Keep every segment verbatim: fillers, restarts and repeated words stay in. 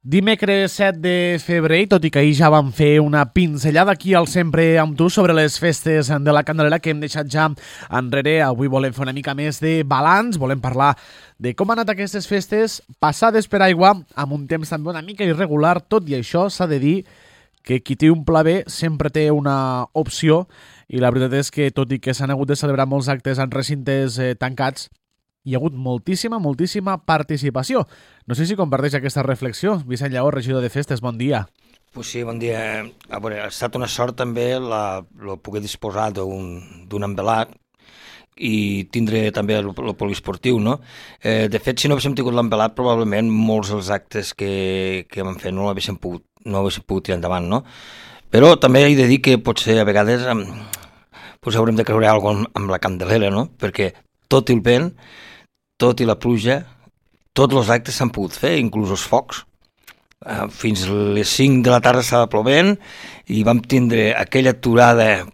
Dimecres set de febrer, tot i que ahir ja vam fer una pinzellada aquí al Sempre amb tu sobre les festes de la Candelera que hem deixat ja enrere. Avui volem fer una mica més de balanç, volem parlar de com han anat aquestes festes passades per aigua, amb un temps també una mica irregular. Tot i això s'ha de dir que qui té un pla B sempre té una opció, i la veritat és que tot i que s'han hagut de celebrar molts actes en recintes eh, tancats, hi ha hagut moltíssima, moltíssima participació. No sé si comparteix aquesta reflexió. Vicent Lleó, regidor de Festes, bon dia. Pues sí, bon dia. A veure, ha estat una sort també la, la poder disposar d'un envelat i tindre també el, el poliesportiu, no? Eh, de fet, si no haguéssim tingut l'envelat, probablement molts dels actes que, que vam fer no l'haguéssim pogut, no haguéssim pogut tirar endavant, no? Però també he de dir que potser a vegades eh, pues haurem de creure alguna cosa amb, amb la Candelera, no? Perquè tot i el vent, tot i la pluja, tots els actes s'han pogut fer, inclús els focs. Uh, fins les cinc de la tarda estava plovent i vam tindre aquella aturada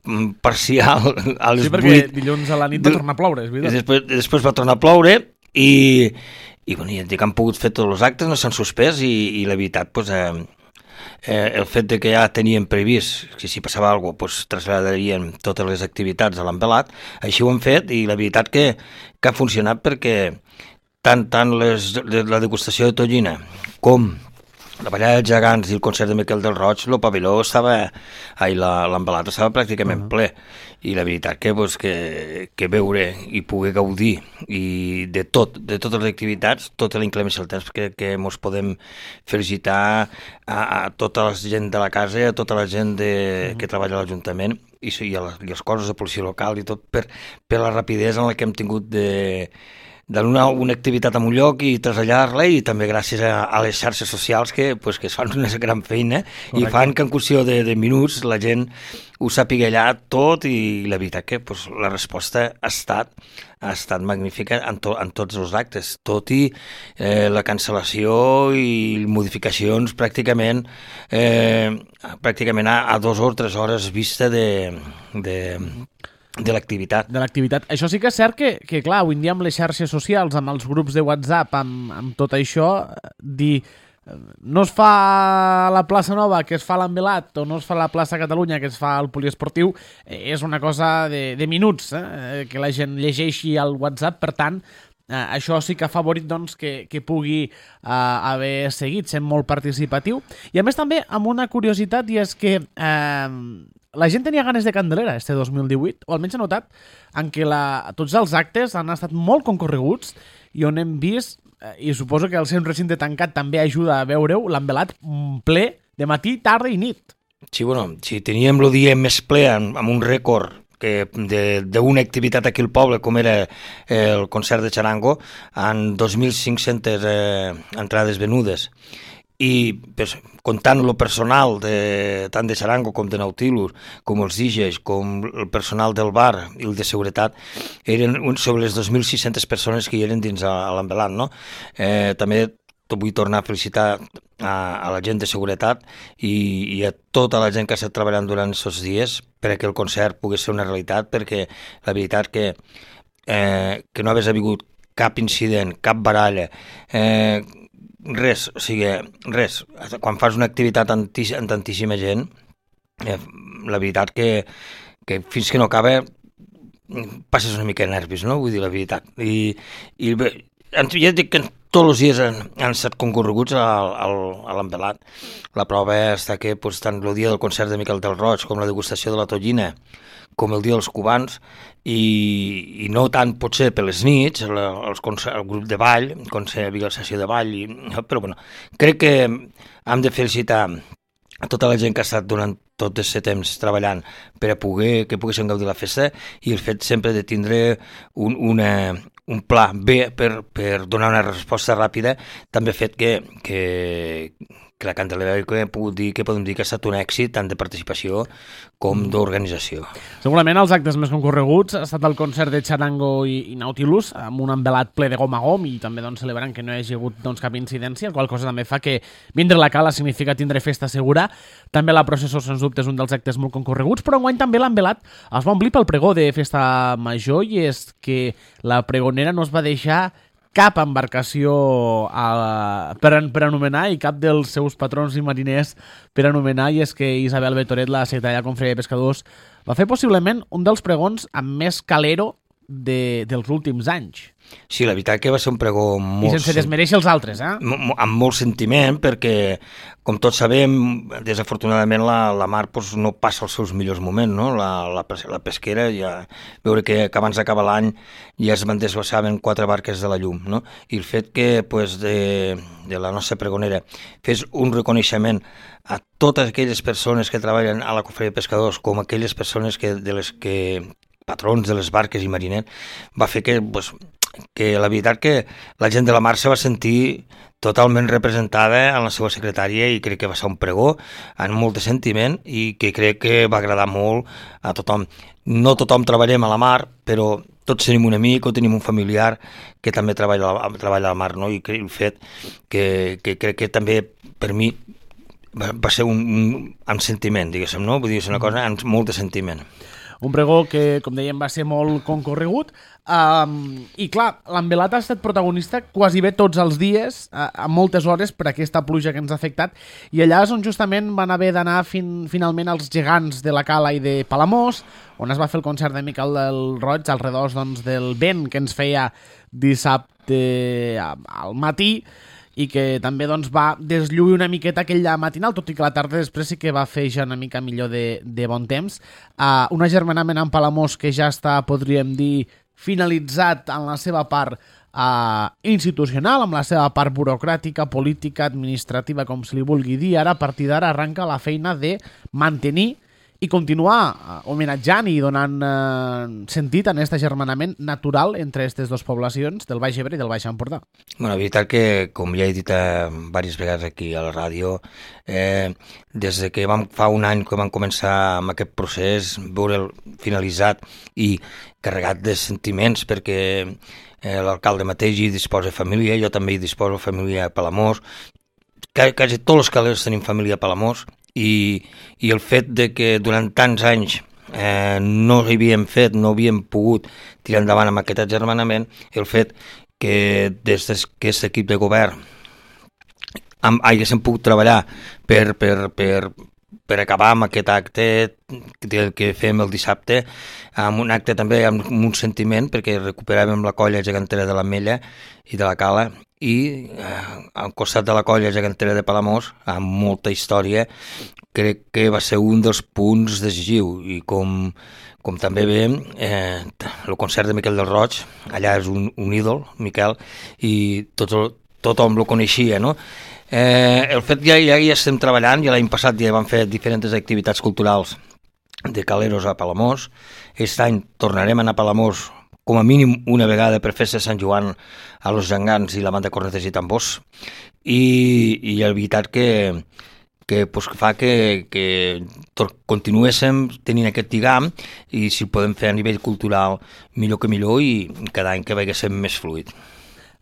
parcial a les vuit. Sí, perquè vuit. Dilluns a la nit va tornar a ploure, és veritat. Després, després va tornar a ploure i, i bueno, ja dic que han pogut fer tots els actes, no s'han suspès i, i la veritat, pues, eh, eh, el fet de que ja tenien previst que si passava alguna cosa pues, traslladarien totes les activitats a l'envelat, així ho han fet i la veritat que, que ha funcionat perquè tant, tant les, la degustació de tonyina com la ballada dels gegants i el concert de Miquel del Roig, el pavelló estava, ai, l'envelat estava pràcticament uh -huh. ple, i la veritat que, pues, que, que veure i poder gaudir i de tot, de totes les activitats, tota la inclemència del temps, que, que ens podem felicitar a, a tota la gent de la casa i a tota la gent de, uh -huh. que treballa a l'Ajuntament i, i, a les, i els cossos de policia local i tot per, per la rapidesa en la que hem tingut de donar una activitat en un lloc i traslladar-la, i també gràcies a, a les xarxes socials que, pues, que es fan una gran feina. Correcte. I fan que en qüestió de, de minuts la gent ho sàpiga allà tot, i la veritat que pues, la resposta ha estat, ha estat magnífica en, to, en tots els actes, tot i eh, la cancel·lació i modificacions pràcticament eh, pràcticament a, a dues o tres hores vista de... de de l'activitat. De l'activitat. Això sí que és cert que, que, clar, avui en dia amb les xarxes socials, amb els grups de WhatsApp, amb, amb tot això, dir no es fa a la plaça Nova que es fa a l'envelat, o no es fa a la plaça Catalunya que es fa al poliesportiu, eh, és una cosa de, de minuts, eh, que la gent llegeixi al WhatsApp. Per tant, eh, això sí que ha favorit doncs, que, que pugui eh, haver seguit sent molt participatiu. I a més també amb una curiositat, i és que eh, la gent tenia ganes de Candelera este dos mil divuit, o almenys ha notat en què la, tots els actes han estat molt concorreguts i on hem vist, eh, i suposo que el seu recinte tancat també ajuda a veure-ho, l'envelat ple de matí, tarda i nit. Sí, bueno, si teníem el dia més ple amb, amb un rècord d'una activitat aquí al poble, com era el concert de Charango, en dos mil cinc-centes eh, entrades venudes. I pues, comptant el personal de, tant de Charango com de Nautilus, com els D Js, com el personal del bar i el de seguretat, eren sobre les dos mil sis-centes persones que hi eren dins a, a l'envelat, no? Eh, també vull tornar a felicitar a, a la gent de seguretat i, i a tota la gent que ha estat treballant durant aquests dies perquè el concert pogués ser una realitat, perquè la veritat que, eh, que no hagués hagut cap incident, cap baralla, eh, res, o sigui, res. Quan fas una activitat amb tantíssima gent, eh, la veritat que, que fins que no acaba passes una mica de nervis, no? Vull dir la veritat. I, i bé, ja dic que tots els dies han, han estat concorreguts al, al, a l'envelat. La prova està que pues, tant el dia del concert de Miquel del Roig com la degustació de la tonyina, com el dia dels cubans, i, i no tant potser per les nits, el, el, el grup de ball, el concert de sessió de ball, i, però bueno, crec que hem de felicitar a tota la gent que ha estat durant tot aquest temps treballant per a poder, que poguessin gaudir la festa, i el fet sempre de tindre un, una, un pla B per, per donar una resposta ràpida també ha fet que, que, que la Candelera que hem pogut dir, que podem dir que ha estat un èxit tant de participació com d'organització. Segurament els actes més concorreguts ha estat el concert de Charango i, i Nautilus, amb un envelat ple de gom a gom, i també doncs, celebrant que no hi hagi hagut doncs, cap incidència, la qual cosa també fa que vindre la cala significa tindre festa segura. També la processó, sens dubte, és un dels actes molt concorreguts, però enguany també l'envelat es va omplir pel pregó de festa major, i és que la pregonera no es va deixar cap embarcació a, per, per anomenar i cap dels seus patrons i mariners per anomenar, i és que Isabel Betoret, la secretària de Confraria de Pescadors, va fer possiblement un dels pregons amb més calero de, dels últims anys. Sí, la veritat que va ser un pregó molt... I sense desmereixer els altres, eh? Amb molt sentiment, perquè, com tots sabem, desafortunadament la, la mar pues, no passa els seus millors moments, no? La, la, la pesquera, ja veure que, que abans d'acabar l'any ja es van desglassaven quatre barques de la llum, no? I el fet que pues, de, de la nostra pregonera fes un reconeixement a totes aquelles persones que treballen a la Confraria de Pescadors, com aquelles persones que, de les que patrons de les barques i mariners, va fer que, pues, que la veritat que la gent de la mar se va sentir totalment representada en la seva secretària i crec que va ser un pregó amb molt de sentiment i que crec que va agradar molt a tothom. No tothom treballem a la mar, però tots tenim un amic o tenim un familiar que també treballa, treballa a la mar, no? I el fet que, que crec que també per mi va, va ser un, un amb sentiment, diguéssim, no? Vull dir, és una cosa amb molt de sentiment. Un pregó que, com dèiem, va ser molt concorregut. Um, I clar, l'Envelat ha estat protagonista quasi bé tots els dies, a, a moltes hores, per aquesta pluja que ens ha afectat, i allà és on justament van haver d'anar fin, finalment els gegants de la Cala i de Palamós, on es va fer el concert de Miquel del Roig, al redós doncs, del vent que ens feia dissabte al matí, i que també doncs, va deslluir una miqueta aquell matinal, tot i que la tarda després sí que va fer ja una mica millor de, de bon temps. Uh, un agermanament amb Palamós que ja està, podríem dir, finalitzat en la seva part uh, institucional, amb la seva part burocràtica, política, administrativa, com se li vulgui dir. Ara, a partir d'ara, arranca la feina de mantenir i continuar homenatjant i donant eh, sentit en aquest agermanament natural entre aquestes dues poblacions del Baix Ebre i del Baix Empordà. Bueno, la veritat que, com ja he dit eh, diverses vegades aquí a la ràdio, eh, des de que vam, fa un any que vam començar amb aquest procés, veure'l finalitzat i carregat de sentiments, perquè eh, l'alcalde mateix hi disposa família, jo també hi disposo família a Palamós, quasi tots els calers tenim família a Palamós, I, i el fet de que durant tants anys eh, no havíem fet, no havíem pogut tirar endavant amb aquest agermanament, el fet que des d'aquest equip de govern amb, haguéssim pogut treballar per, per, per, per acabar amb aquest acte que, que fem el dissabte, amb un acte també amb un sentiment, perquè recuperàvem la colla gegantera de l'Ametlla i de la Cala, i eh, al costat de la colla gegantera de Palamós, amb molta història, crec que va ser un dels punts decisius, i com, com també veiem, eh, el concert de Miquel del Roig, allà és un, un ídol, Miquel, i tot, tothom lo coneixia, no? Eh, el fet ja, ja hi estem treballant, ja l'any passat ja vam fer diferents activitats culturals de caleros a Palamós, aquest any tornarem a anar a Palamós com a mínim una vegada per festa de Sant Joan a los Gegants i la banda Cornetes i Tambors, i, i la veritat que, que, pues, que fa que, que continuéssim tenint aquest lligam, i si ho podem fer a nivell cultural millor que millor, i cada any que veiéssim més fluid.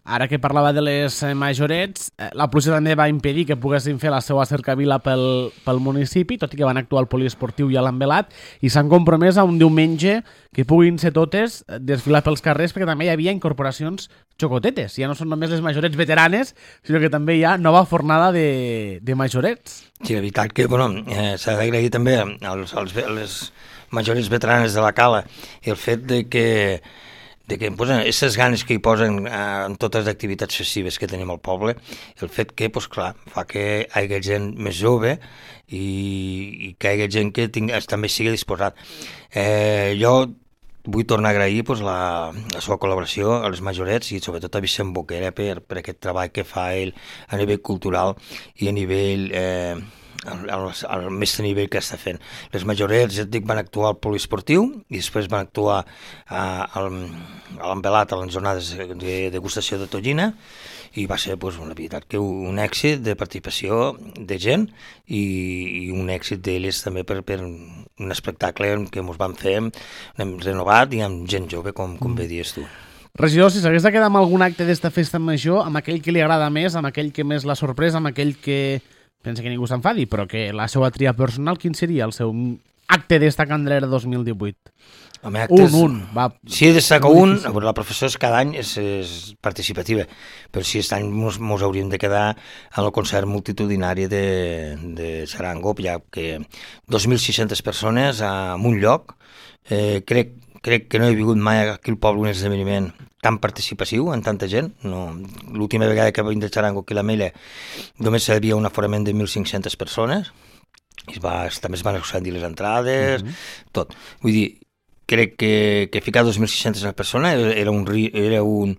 Ara que parlava de les majorets, la pluja també va impedir que poguessin fer la seva cercavila pel, pel municipi, tot i que van actuar al poliesportiu i a l'Envelat, i s'han compromès a un diumenge que puguin ser totes desfilar pels carrers, perquè també hi havia incorporacions xocotetes. Ja no són només les majorets veteranes, sinó que també hi ha nova fornada de, de majorets. Sí, la veritat que bueno, eh, s'ha d'agrair també als, als, a les majorets veteranes de la Cala el fet de que de que posen aquestes ganes que hi posen eh, en totes les activitats festives que tenim al poble, el fet que, pues, clar, fa que hi hagi gent més jove i, i que hi hagi gent que ting, també sigui disposat. Eh, jo vull tornar a agrair pues, la, la seva col·laboració a les majorets i sobretot a Vicent Boquera per, per aquest treball que fa ell a nivell cultural i a nivell... Eh, Al, al, al més nivell que està fent. Les majorets, ja et dic, van actuar al poliesportiu i després van actuar a, a, a l'Envelat a les jornades de degustació de tonyina, i va ser pues, la veritat que un èxit de participació de gent i, i un èxit d'elles també per, per un espectacle que ens van fer, hem renovat i amb gent jove, com, com bé dius tu. Regidor, si s'hagués de quedar amb algun acte d'esta festa major, amb aquell que li agrada més, amb aquell que més l'ha sorprès, amb aquell que pensa que ningú s'enfadi, però que la seva tria personal, quin seria el seu acte d'esta Candelera dos mil divuit? Home, actes... Un, un. Va. Si he destacat un, la professió és cada any és, és participativa, però si aquest any mos, mos hauríem de quedar en el concert multitudinari de, de Charango, ja que dos mil sis-centes persones en un lloc, eh, crec, crec que no he vingut mai aquí al poble un esdeveniment tan participatiu, amb tanta gent. No, l'última vegada que vam de Charango aquí a la Mella només hi havia un aforament de mil cinc-centes persones, i es va, també es van excedir les entrades, mm-hmm. tot. Vull dir, crec que, que ficar dos mil sis-centes persones era, un, era un,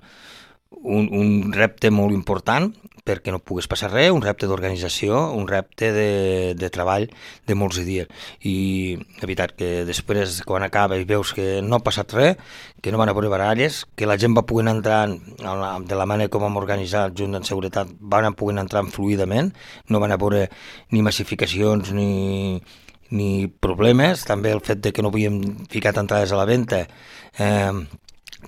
un, un repte molt important perquè no pogués passar res, un repte d'organització, un repte de, de treball de molts dies. I la veritat que després, quan acaba i veus que no ha passat res, que no van haver baralles, que la gent va poder entrar de la manera com vam organitzar junt en seguretat, van poder entrar fluidament, no van haver ni massificacions ni... ni problemes, també el fet de que no havíem ficat entrades a la venda, eh,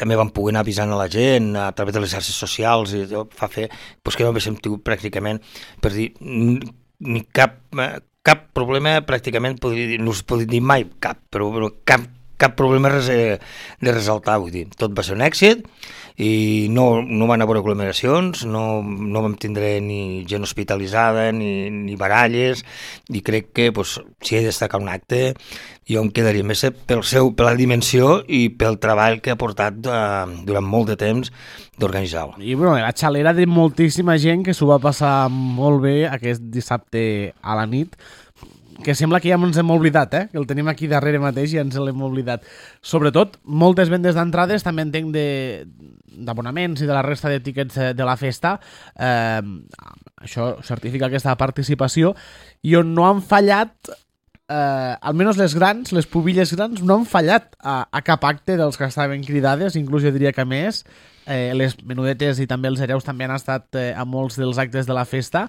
també vam poder anar avisant a la gent a través de les xarxes socials, i fa fer pues, que no haguéssim tingut pràcticament, per dir, ni cap, cap problema pràcticament, podria dir, no us podria dir mai cap, però, però cap, cap problema de ressaltar, vull dir, tot va ser un èxit, i no, no van haver aglomeracions, no, no vam tindre ni gent hospitalitzada, ni, ni baralles, i crec que pues, si he de destacar un acte, jo em quedaria més pel seu, per la dimensió i pel treball que ha portat uh, durant molt de temps d'organitzar-ho. I bueno, la xalera de moltíssima gent que s'ho va passar molt bé aquest dissabte a la nit, que sembla que ja ens hem oblidat, eh? Que el tenim aquí darrere mateix i ens l'hem oblidat. Sobretot, moltes vendes d'entrades, també entenc d'abonaments i de la resta de tiquets de la festa. Eh, això certifica aquesta participació i on no han fallat, eh, almenys les grans, les pubilles grans, no han fallat a, a cap acte dels que estaven cridades, inclús jo diria que més. Eh, les menudetes i també els hereus també han estat eh, a molts dels actes de la festa.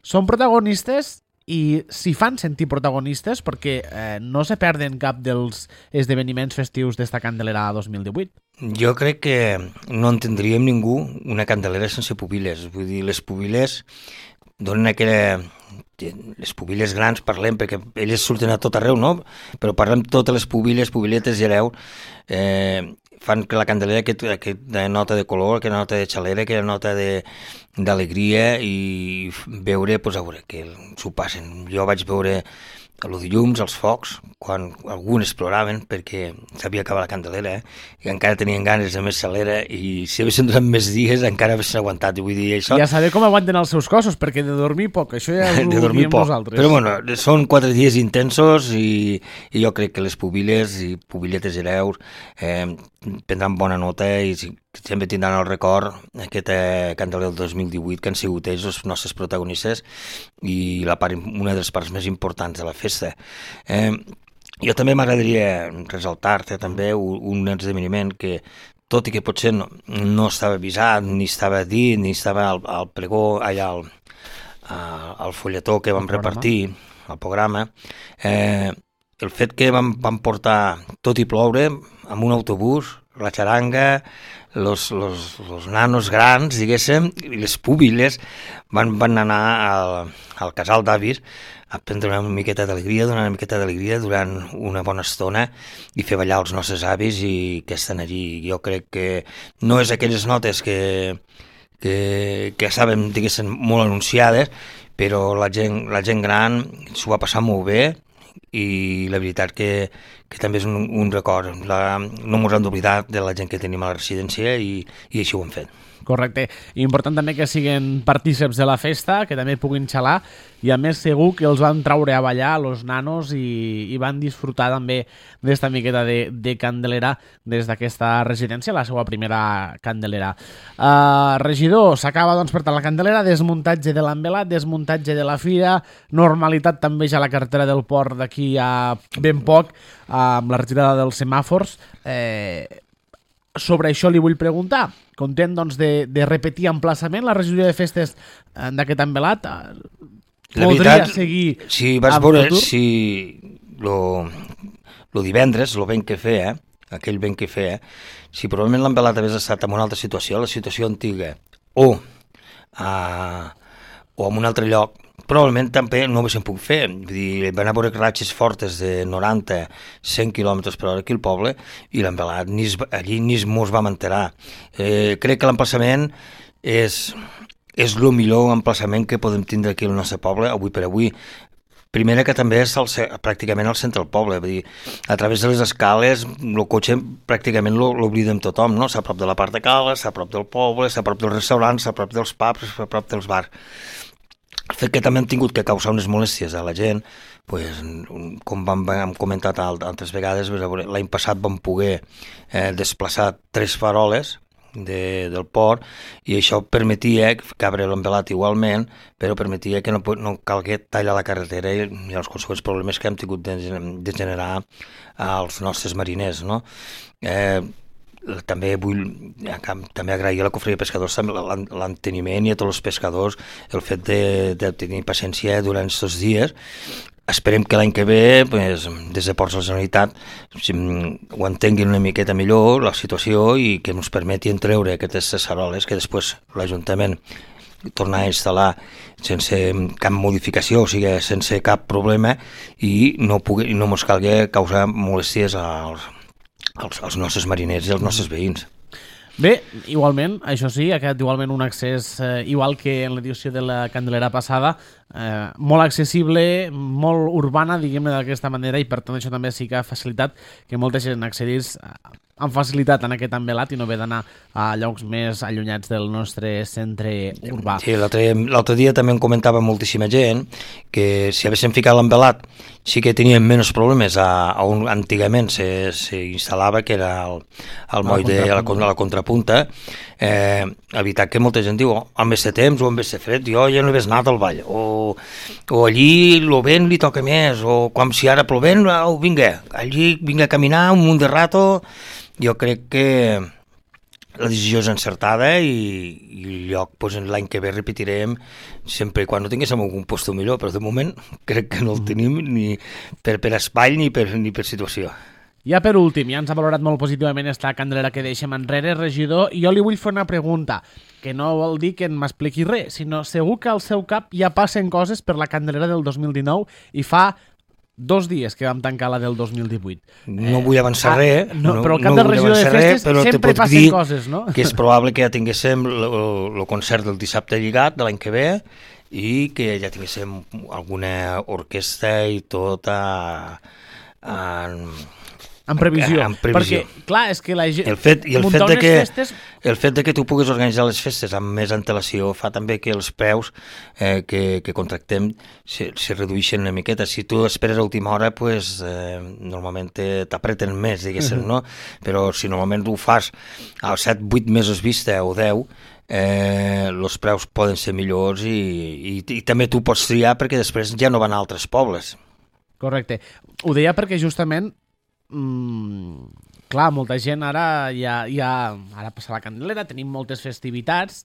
Són protagonistes i s'hi fan sentir protagonistes perquè eh, no se perden cap dels esdeveniments festius d'esta Candelera dos mil divuit. Jo crec que no entendríem ningú una Candelera sense pubiles. Vull dir, les pubiles donen aquella... Les pubiles grans parlem, perquè elles surten a tot arreu, no? Però parlem totes les pubiles, pubiletes i hereu, eh, fan que la Candelera aquest, aquesta nota de color, aquesta nota de xalera, aquesta nota de d'alegria, i veure, pues, a veure, que s'ho passen. Jo vaig veure el de llums, els focs, quan alguns exploraven, perquè s'havia acabat la Candelera, eh? I encara tenien ganes de més xalera, i si haguessin durat més dies encara haguessin aguantat. Vull dir, això... Ja saber com aguanten els seus cossos, perquè de dormir poc, això ja ho diem nosaltres. Però bueno, són quatre dies intensos, i, i jo crec que les pubiles i pubiletes hereus eh, prendran bona nota, i sempre tindran el record aquest eh, Candelera del dos mil divuit, que han sigut ells els nostres protagonistes i la part, una de les parts més importants de la festa. Eh, jo també m'agradaria ressaltar-te també un, un esdeveniment que, tot i que potser no, no estava avisat, ni estava dit, ni estava al, al pregó, allà al, al folletó que vam repartir, al programa, eh, el fet que vam, vam portar, tot i ploure, amb un autobús, la xaranga, los, los, los nanos grans, diguéssim, i les púbiles van, van anar al, al casal d'avis a prendre una miqueta d'alegria, donar una miqueta d'alegria durant una bona estona i fer ballar els nostres avis i que estan allí. Jo crec que no és aquelles notes que, que, que estaven, diguéssim, molt anunciades, però la gent, la gent gran s'ho va passar molt bé, i la veritat que, que també és un, un record. La, no ens hem d'oblidar de la gent que tenim a la residència, i, i així ho hem fet. Correcte. I important també que siguin partíceps de la festa, que també puguin xalar, i a més segur que els van traure a ballar los nanos i, i van disfrutar també d'esta miqueta de, de Candelera des d'aquesta residència, la seva primera Candelera. Uh, regidor, s'acaba doncs per tant la Candelera, desmuntatge de l'envelat, desmuntatge de la fira, normalitat també ja a la carretera del port d'aquí a ben poc, uh, amb la retirada dels semàfors. Eh, sobre això li vull preguntar, content doncs, de, de repetir emplaçament la regidoria de festes d'aquest envelat, podria veritat, seguir si vas veure, futur? Si lo, lo divendres, lo ben que feia, aquell ben que feia, si probablement l'envelat hagués estat en una altra situació, la situació antiga, o, a, o en un altre lloc, probablement també no ho haguéssim pogut fer. Vull dir, van haver ratxes fortes de noranta a cent quilòmetres per hora aquí al poble i l'envelat ni es, allí ni mos vam enterar. Eh, crec que l'emplaçament és, és el millor emplaçament que podem tindre aquí al nostre poble, avui per avui. Primera que també és el, pràcticament al centre del poble, vull dir, a través de les escales el cotxe pràcticament l'oblidem tothom, no? S'ha a prop de la part de cala, s'ha a prop del poble, s'ha a prop dels restaurants, s'ha a prop dels pubs, s'ha a prop dels bars. El fet que també hem tingut que causar unes molèsties a la gent, pues, com vam, hem comentat altres vegades, l'any passat vam poder eh, desplaçar tres faroles de, del port i això permetia cabre l'envelat igualment, però permetia que no, no calgui tallar la carretera i, i els consegüents problemes que hem tingut de, de generar als nostres mariners, no? Eh, també vull també agrair a la Cofreria de Pescadors l'enteniment i a tots els pescadors el fet de, de tenir paciència durant aquests dies. Esperem que l'any que ve, pues, des de Ports de la Generalitat, ho entenguin una miqueta millor la situació i que ens permetin treure aquestes cesaroles que després l'Ajuntament tornar a instal·lar sense cap modificació, o sigui, sense cap problema i no, pugui, no ens calgui causar molèsties als Els, els nostres mariners i els nostres veïns. Bé, igualment, això sí, ha quedat igualment un accés, eh, igual que en l'edició de la Candelera passada, eh, molt accessible, molt urbana, diguem-ne d'aquesta manera, i per tant això també sí que ha facilitat que molta gent accedís amb facilitat en aquest envelat i no haver d'anar a llocs més allunyats del nostre centre urbà. Sí, l'altre dia també em comentava moltíssima gent que si haguéssim ficat l'envelat sí que teníem menys problemes a, a on antigament s'instal·lava, que era el, el moll de la, la contrapunta. Eh, evitar que molta gent diu, oh, amb este temps o amb este fred, jo ja no he anat al ball, o, o allí el vent li toca més, o com si ara plovent, oh, vinga, allí vinga a caminar un munt de rato. Jo crec que la decisió és encertada i, i el lloc pues, l'any que ve repetirem sempre i quan no tinguéssim algun lloc millor, però de moment crec que no el tenim ni per, per espai ni per, ni per situació. Ja per últim, ja ens ha valorat molt positivament esta Candelera que deixem enrere, regidor, i jo li vull fer una pregunta, que no vol dir que m'expliqui res, sinó segur que al seu cap ja passen coses per la Candelera del dos mil dinou i fa dos dies que vam tancar la del dos mil divuit. No eh, vull avançar ah, res, no, però el cap no del regidor de festes res, sempre passen coses, no? Que és probable que ja tinguéssim el concert del dissabte lligat de l'any que ve i que ja tinguéssim alguna orquestra i tot a, a, en previsió. En previsió. Perquè, clar, és que la gent... El fet, i el fet, de que, festes... el fet de que tu puguis organitzar les festes amb més antelació fa també que els preus eh, que, que contractem se, se redueixen una miqueta. Si tu esperes a última hora, pues, eh, normalment t'apreten més, diguéssim, uh-huh. no? Però si normalment ho fas a set, vuit mesos vista o deu, eh, els preus poden ser millors i, i, i també tu pots triar perquè després ja no van a altres pobles. Correcte. Ho deia perquè justament Mm, clar, molta gent ara ja, ja ara passa la Candelera, tenim moltes festivitats,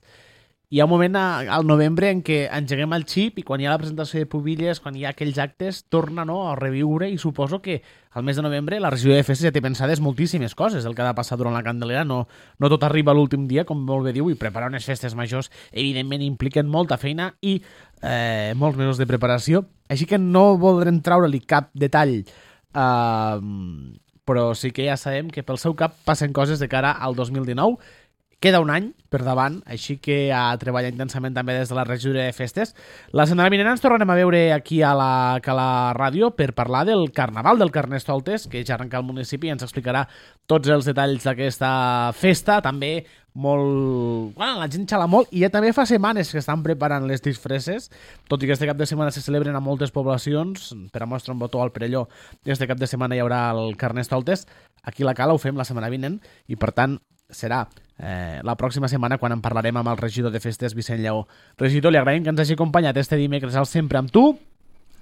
hi ha un moment a, al novembre en què engeguem el xip i quan hi ha la presentació de pubilles, quan hi ha aquells actes, torna, no, a reviure, i suposo que al mes de novembre la regió de festes ja té pensades moltíssimes coses del que ha de passar durant la Candelera. No, no tot arriba l'últim dia, com molt bé diu, i preparar unes festes majors evidentment impliquen molta feina i eh, molts mesos de preparació, així que no voldrem treure-li cap detall. Uh, però sí que ja sabem que pel seu cap passen coses de cara al dos mil dinou. Queda un any per davant, així que a treballar intensament també des de la regidoria de festes. La setmana vinent ens tornarem a veure aquí a la, a la ràdio per parlar del Carnaval del Carnestoltes, que ja arrenca al municipi i ens explicarà tots els detalls d'aquesta festa. També molt... Bueno, la gent xala molt i ja també fa setmanes que estan preparant les disfresses, tot i que este cap de setmana se celebren a moltes poblacions. Per a mostra un botó al Perelló, este cap de setmana hi haurà el Carnestoltes. Aquí a la Cala ho fem la setmana vinent i per tant serà eh, la pròxima setmana quan en parlarem amb el regidor de festes, Vicent Lleó. Regidor, li agraïm que ens hagi acompanyat este dimecres al Sempre amb tu.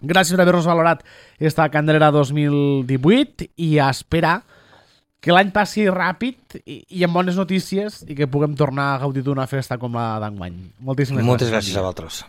Gràcies per haver-nos valorat esta Candelera dos mil divuit i a esperar que l'any passi ràpid i, i amb bones notícies i que puguem tornar a gaudir d'una festa com la d'enguany. Moltíssimes Moltes gràcies. gràcies a vosaltres.